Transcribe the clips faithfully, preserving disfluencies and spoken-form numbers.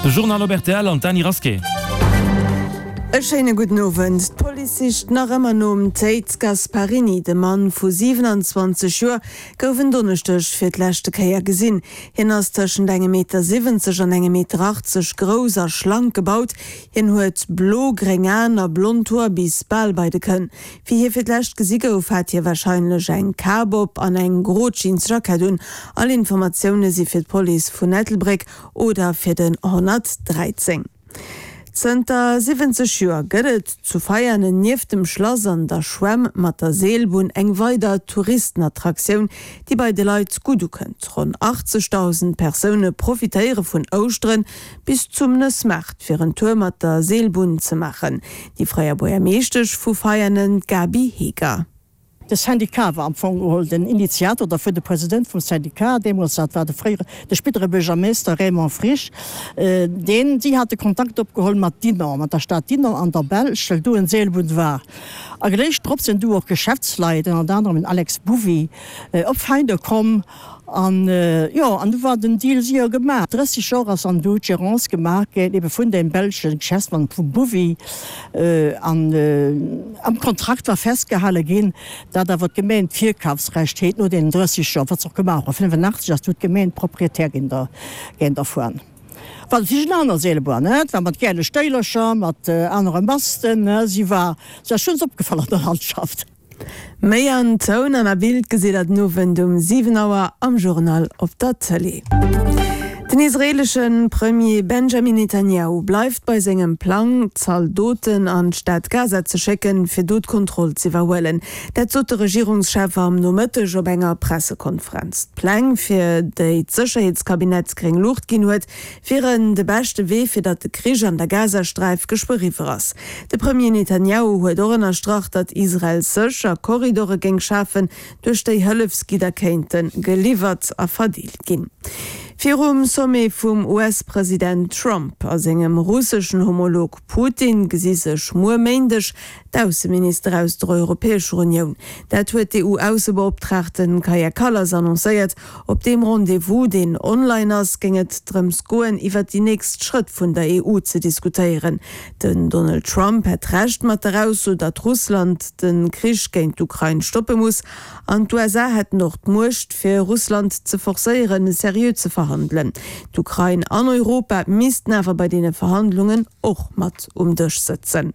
De Journal op rtl an d'Dany Rasqué. E schéine gudden Owend. D'Police sicht nach ëmmer nom Théid Gasparini. De Mann vu siwenanzwanzeg Joer gouf en Donneschdeg fir d'leschte Kéier gesinn. Hien ass tëschent engem Meter siwwenzeg an engem Meter achtzeg grouss a schlank gebaut. Hien huet blo-gréng Aen a blond Hoer bis bal bei de Kënn. Wéi hie fir d'lescht gesi gouf, hat hie warscheinlech eng Kap op an eng gro Jeansjackett un. All Informatioune si fir d'Police vun Ettelbréck oder fir den honnertdräizéng. Zënter siwwenzeg Joer gëtt et zu Veianen nieft dem Schlass an der Schwämm mat der Seelbunn eng weider Touristenattraktioun, déi bei de Leit gutt ukënnt. Ronn achtzegdausend Persoune profitéiere vun Ouschteren bis zum Nëssmaart, fir en Tour mat der Seelbunn ze maachen. Déi fréier Buergermeeschtesch vu Veianen, d'Gaby Heger. De Syndicat war am Fong geholl den Initiator dervun, de President vum Syndicat deemools, dat war de fréiere, de spéidere Buergermeester Raymond Frisch, deen, si hate Kontakt opgeholl mat Dinant, mat der Stad Dinant an der Belsch, well do en Seelbunn war. A gléich drop sinn du och Geschäftsleit, ënnert anerem den Alex Bovy, op Veiner komm. An, jo, an du war den Deal séier gemaach. Drësseg Joer ass an du d'Gérance gemaach ginn, ebe vun deem belsche Geschäftsmann, vum Bovy. An am Kontrakt war festgehale ginn, datt awer d'Gemeng d'Virkafsrecht hétt no deenen drësseg Joer, wat se och gemaach hunn. Fënnefenachtzeg ass du d'Gemeng Proprietär ginn der, ginn dervun. War natierlech en aner Seelebunn, ne, et war mat gäle Stéilercher, mat anere Masten, ne, si war, si ass schonns opgefall an der Landschaft. Méi an Toun an a Bild gesitt der den Owend um siwen Auer am Journal op der Tëlee. Den israeelesche Premier Benjamin Netanjahu bleift bei sengem Plang, Zaldoten an d'Stad Gaza ze schécken, fir do d'Kontroll z'iwwerhuelen. Dat sot de Regierungschef am Nomëtteg op enger Pressekonferenz. D'Pläng, fir déi d'Sécherheetskabinett gréng Luucht ginn huet, wieren de beschte Wee, fir datt de Krich an der Gazasträif geschwë eriwwer ass. De Premier Netanjahu huet och ënnerstrach, datt Israel sécher Korridore géing schafen, duerch déi Hëllefsgidder kéinte geliwwert a verdeelt ginn. Virum Sommet vum U S-President Trump a sengem russeschen Homolog Putin gesi sech muer Méindeg d'Ausseminister aus der Europäescher Unioun. Dat huet d'E U-Aussebeoptraagte Kaja Kallas annoncéiert. Op deem Rendez-vous, deen online ass, géing et drëms goen, iwwer déi nächst Schrëtt vun der E U ze diskutéieren. Den Donald Trump hätt Recht mat der Ausso, datt Russland de Krich géint d'Ukrain stoppe muss, an d'U S A hätten och d'Muecht, fir Russland ze forcéieren, seriö ze verhandelen. D'Ukrain an Europa missten awer bei deene Verhandlungen och mat um Dësch sëtzen.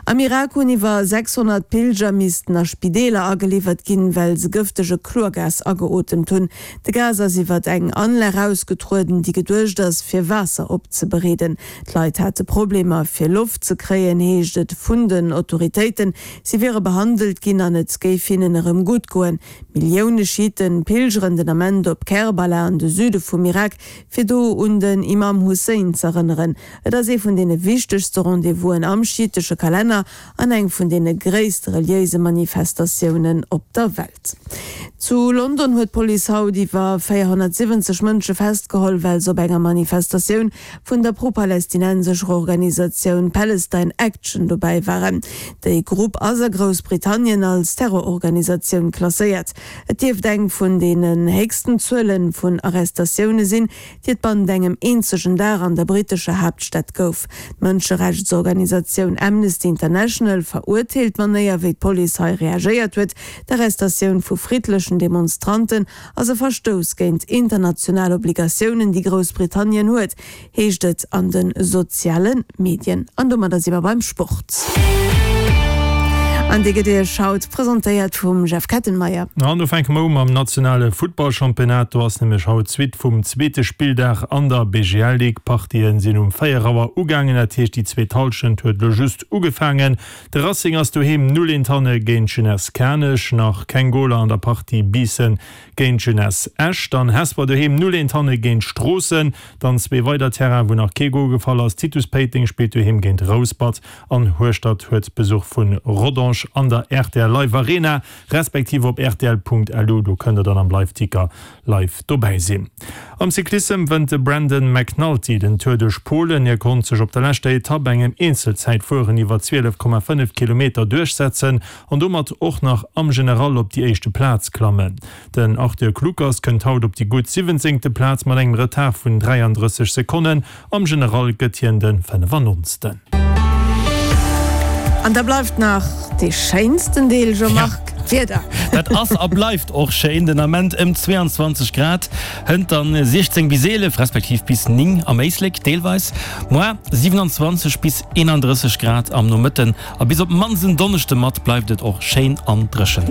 Am Irak hunn iwwer sechshonnert Pilger missten a Spideeler ageliwwert ginn, well se gëftege Chlorgas ageotemt hunn. De Gas ass iwwert eng Anlag ausgetrueden, déi geduecht ass, fir Waasser opzebereeden. D'Leit hate Problemer, fir Loft ze kréien, heescht et vun den Autoritéiten. Si wiere behandelt ginn an et géif hinnen erëm gutt goen. Millioune Schiiten pilgeren den Ament op Kerbala an de Süde vum Irak, fir do un den Imam Hussein z'erënneren. Et ass ee vun deene wichtegste Rendez-vousen am schiitesche Kalenner an eng vun deene gréisste reliéise Manifestatiounen op der Welt. Zu London huet d'Police haut iwwer véierhonnertsiwwenzeg Mënsche festgeholl, well se op enger Manifestatioun vun der pro-palästinensescher Organisatioun Palestine Action dobäi waren. Déi Grupp ass a Groussbritannien als Terrororganisatioun klasséiert. Et dierft eng vun deenen héchsten Zuele vun Arrestatioune sinn, déi et bannent engem eenzegen Dag an der brittescher Haaptstad gouf. D'Mënscherechtsorganisatioun Amnesty International verurteelt d'Manéier, wéi d'Police hei reagéiert huet. D'Arrestatioun vu friddlechen Demonstranten ass e Verstouss géint international Obligatiounen, déi Groussbritannien huet, heescht et an de soziale Medien. An domadder si mer beim Sport. An dee gëtt Iech haut presentéiert vum Jeff Kettenmeyer. An do fänke mer u mam nationale Futtballchampionnat. Do ass nämlech haut d'Suite vum zweete Spilldag an der B G L Ligue. D'Partien sinn um véier Auer ugaangen, dat heescht déi zweet Hallschent huet elo just ugefaangen. De Racing ass doheem null eent hanne géint d'Jeunesse Kanech. Nach keng Goler an der Partie Biissen géint d'Jeunesse Esch. Dann Hesper doheem null eent hanne géint Stroossen. Dann zwee weider Terrainen, wou nach kee Gol gefall ass. Titus Péiteng spillt doheem géint Rouspert an Hueschtert huet Besuch vu Rodange. Differdange an der rtl Live Arena, respektiv op rtl.lu, do kënnt der dann am Live-Ticker live dobäi sinn. Am Cyclissem wënnt de Brandon McNulty den Tour duerch Polen. Hie konnt sech op der leschter Etapp, engem Eenzelzäitfueren iwwer zwielef Komma fënnef Kilometer, duerchsetzen an domat och nach am General op déi éischte Plaz klammen. Den Arthur Kluckers kënnt haut op déi gutt siwwenzéngte Plaz mat engem Retard vun dräiandrësseg Sekonnen. Am General gëtt hien de fënnefannonzten. An da bleift nach dee schéinsten Deel, Jean-Marc, d'Wieder. Dat ass a bleift och schéin, den Ament ëm zweeanzwanzeg Grad, hënt dann siechzéng bis eelef respektiv bis néng am Éislek deelweis, moar siewenanzwanzeg bis eenandrësseg Grad am Nomëtten a bis op d'mannst en Donneschde mat bleift et och schéin an dréchen.